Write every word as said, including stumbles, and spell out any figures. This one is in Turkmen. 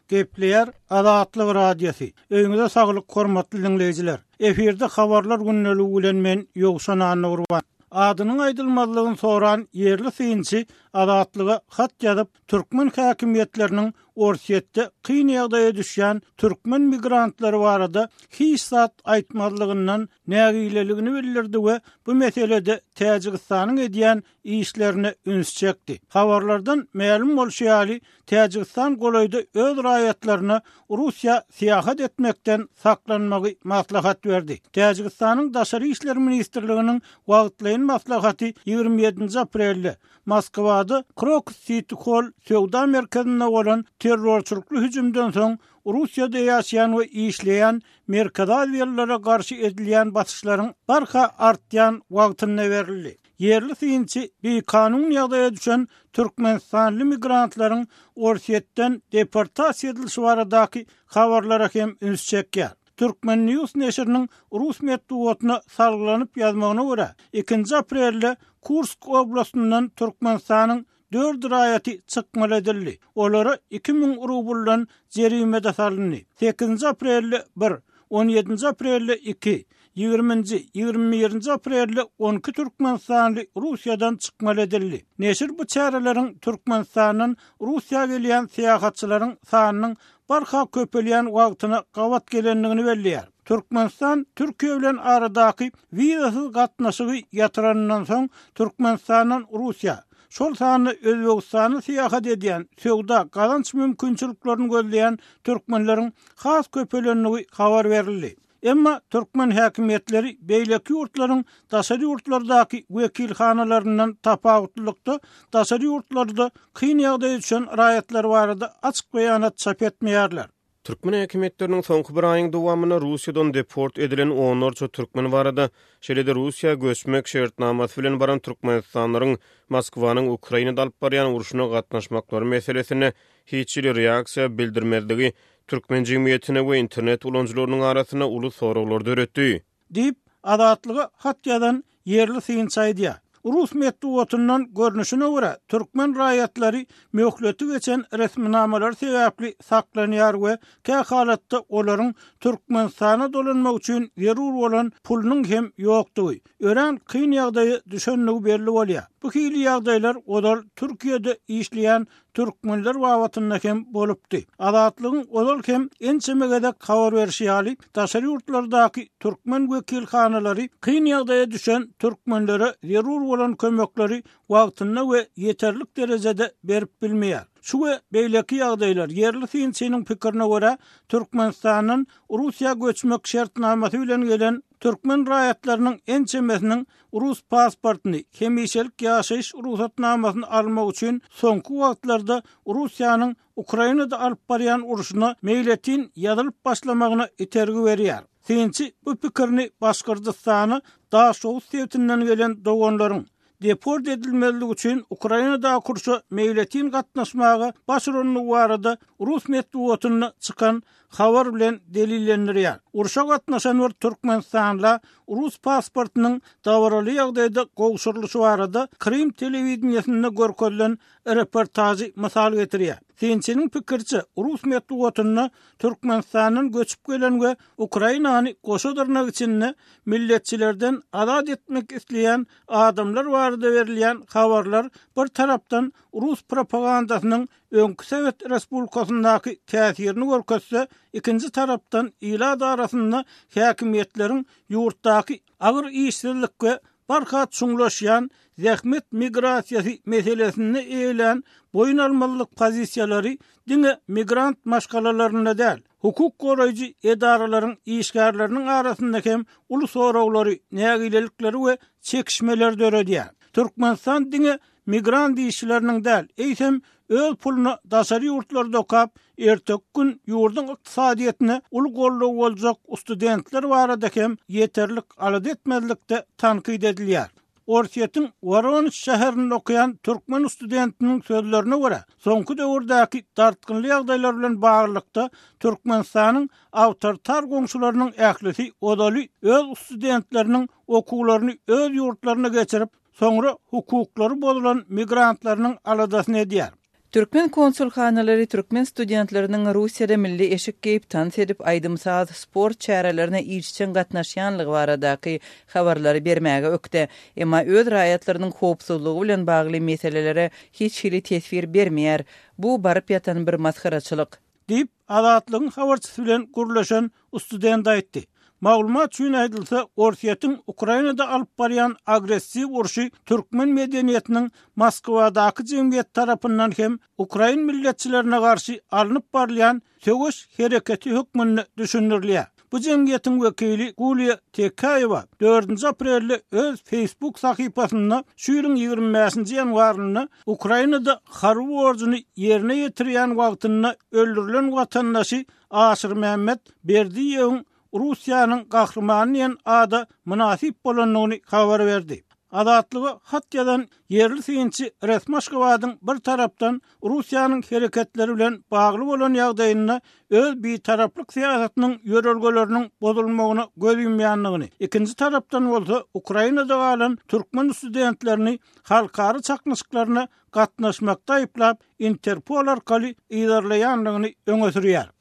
Gepleýär Azatlyk Radiosy. Öýüňize saglyk hormatly dinleýjiler. Efirde habarlar gündeligi bilen men Ýowşan Annagurban. Adynyň aýdylmazlygyny soran ýerli synçy Azatlyga hat ýazyp, türkmen häkimiýetleriniň Orsýetde kyn ýagdaýa düşýän türkmen migrantlary barada hiç zat aýtmazlygyndan nägileligini bildirdi we bu meselede Täjigistanyň edýän işlerine üns çekdi. Habarlardan mälim bolşy ýaly, Täjigistan golaýda öz raýatlaryna Russiýa syýahat etmekden saklanmagy maslahat berdi. Täjigistanyň Daşary işler ministrliginiň wagtlaýyn maslahaty ýigrimi ýedinji aprelde Moskwada Crocus City Hall söwda merkezinde bolan terrorçylykly hüjümden soň Russiýada ýaşaýan we işleýän Merkezi Aziýalylara garşy edilýän basyşlaryň barha artýan wagtynda berildi. Ýerli synçy bikanun ýagdaýa düşen türkmenistanly migrantlaryň Orsýetden deportasiýa edilişi baradaky habarlara hem üns çekýär. Türkmen News neşiriniň rus metbugatyna salgylanyp ýazmagyna görä, ikinji aprelde Kursk oblastyndan Türkmenistanyň dört raýaty çykmaly edildi. Olara iki müň rubldan jerime-de salyndy. Sekizinji aprelde bir, on ýedinji aprelde iki, ýigriminji, ýigrimi birinji aprelde on iki türkmenistanly Russiýadan çykmaly edildi. Neşir bu çäreleriň Türkmenistandan Russiýa gelýän syýahatçylaryň sanynyň barha köpelýän wagtyna gabat gelendigini belleýär. Türkmenistan Türkiýe bilen aradaky wizasyz gatnaşygy ýatyranyndan soň Türkmenistandan Russiýa, şol sanda Özbegistana syýahat edýän, söwda, gazanç mümkinçiliklerini gözleýän türkmenleriň has köpelendigi habar berildi. Emma türkmen häkimiýetleri beýleki ýurtlaryň daşary ýurtlardaky wekilhanalaryndan tapawutlylykda daşary ýurtlarda kyn ýagdaýa düşen raýatlar barada açyk beýanat çap etmeýärler. Türkmen häkimiýetleriniň soňky bir aýyň dowamynda Russiýadan deport edilen onlarça türkmen barada, şeýle-de Russiýa göçmek şertnamasy bilen baran türkmenistanlylaryň Moskwanyň Ukrainada alyp barýan urşuna gatnaşmaklary meselesinde hiç hili reaksiýa bildirmezligi türkmen jemgyýetine we internet ulanyjylarynyň arasynda uly soraglar döretdi. Diýip, Azatlyga hat ýazan ýerli synçy aýdýar. Rus metbugatyndan görnüşine görä, türkmen raýatlary möhleti geçen resminamalar sebäpli saklanýar we kä halatda olaryň Türkmenistana dolanmak üçin zerur bolan pulunyň hem ýokdugy, örän kyn ýagdaýa düşenligi belli bolýar. Bu hili ýagdaýlar ozal Türkiýede işleýän türkmenler babatynda hem bolupdy. Azatlygyň ozal hem ençeme gezek habar berişi ýaly, daşary ýurtlardaky türkmen wekilhanalary kyn ýagdaýa düşen türkmenlere zerur bolan kömekleri wagtynda we ýeterlik derejede berip bilmeýär. Şu we beýleki ýagdaýlar ýerli synçynyň pikirine görä, Türkmenistandan Russiýa göçmek şertnamasy bilen gelen türkmen raýatlarynyň ençemesiniň rus pasportyny, hemişelik ýaşaýyş rugsatnamasyny almak üçin soňky wagtlarda Russiýanyň Ukrainada alyp barýan urşuna meýletin ýazylyp başlamagyna itergi berýär. Synçy bu pikirini Başgyrdystana Daşoguz sebitinden gelen doganlaryň deport edilmezligi üçin Ukrainadaky urşa meýletin gatnaşmaga baş urandygy barada rus metbugatynda çykan habar bilen delillendirýär. Urşa gatnaşan bir Türkmenistanla rus pasportynyň dabaraly ýagdaýda gowşurylyşy barada Krym telewideniýesinde görkezilen reportažy mysal getirýär. Synçynyň pikiriçe, rus metbugatynda Türkmenistandan göçüp gelen we Ukrainany goşa dyrnak içinde milletçilerden azat etmek isleýän adamlar barada berilýän habarlar bir tarapdan rus propagandasynyň öňki Sowet Respublikasyndaky täsirini görkezse, ikinji tarapdan ilat arasynda häkimiýetleriň ýurtdaky agyr işsizlik we barha çuňlaşýan zähmet migrasiýasy meselesinde eýlän boýun almalyk pozisiýalary diňe migrant maşgalalarynda däl, hukuk goraýjy edaralaryň işgärleriniň arasynda hem uly soraglary, nägilelikleri we çekişmeleri döredýär. Türkmenistan diňe migrant işçileriniň däl, eýsem öz puluna daşary ýurtlarda okap, erteki gün ýurduň ykdysadyýetine uly goldaw boljak studentler barada hem ýeterlik alada etmezlikde tankyt edilýär. Orsýetiň Woronej şäherinde okaýan türkmen studentiniň sözlerine görä, soňky döwürdäki dartgynly ýagdaýlar bilen baglylykda Türkmenistanyň awtoritar goňşularynyň ählisi ozaly öz studentleriniň okuwlaryny öz ýurtlaryna geçirip, soňra hukuklary bozulan migrantlarynyň aladasyny edýär. Türkmen konsulhanalary türkmen studentleriniň Russiýada milli eşik geýip, tans edip, aýdym-saz, sport çärelerine işjeň gatnaşýanlygy baradaky habarlary bermäge ökde. Emma öz raýatlarynyň howpsuzlygy bilen bagly meselelere hiç hili teswir bermeýär. Bu baryp ýatan bir masgaraçylyk. Diýip, Azatlygyň habarçysy bilen gürleşen student aýtdy. Maglumat üçin aýdylsa, Orsýetiň Ukrainada alyp barýan agressiw urşy türkmen medeniýetiniň Moskwadaky jemgyýet tarapyndan hem ukrain milletçilerine garşy alnyp barylýan söweş hereketi hökmünde düşündirilýär. Bu jemgyýetiň wekili Guliýa Tekäýewa dördünji aprelde öz Facebook sahypasynda şu ýylyň ýigrimi bäşinji ýanwarynda Ukrainada harby borjuny ýerine ýetirýän wagtynda öldürilen watandaşy Aşyrmämmet Berdiýewiň Russiýanyň gahrymany diýen ada mynasyp bolandygyny habar berdi. Azatlyga hat ýazan ýerli synçy resmi Aşgabadyň bir tarapdan Russiýanyň hereketleri bilen bagly bolan ýagdaýynda öz bitaraplyk syýasatynyň ýörelgeleriniň bozulmagyna göz ýumýandygyny, ikinji tarapdan bolsa Ukrainada galan türkmen studentlerini halkara çaknyşyklaryna gatnaşmakda aýyplap, Interpol arkaly yzarlaýandygyny öňe sürýär.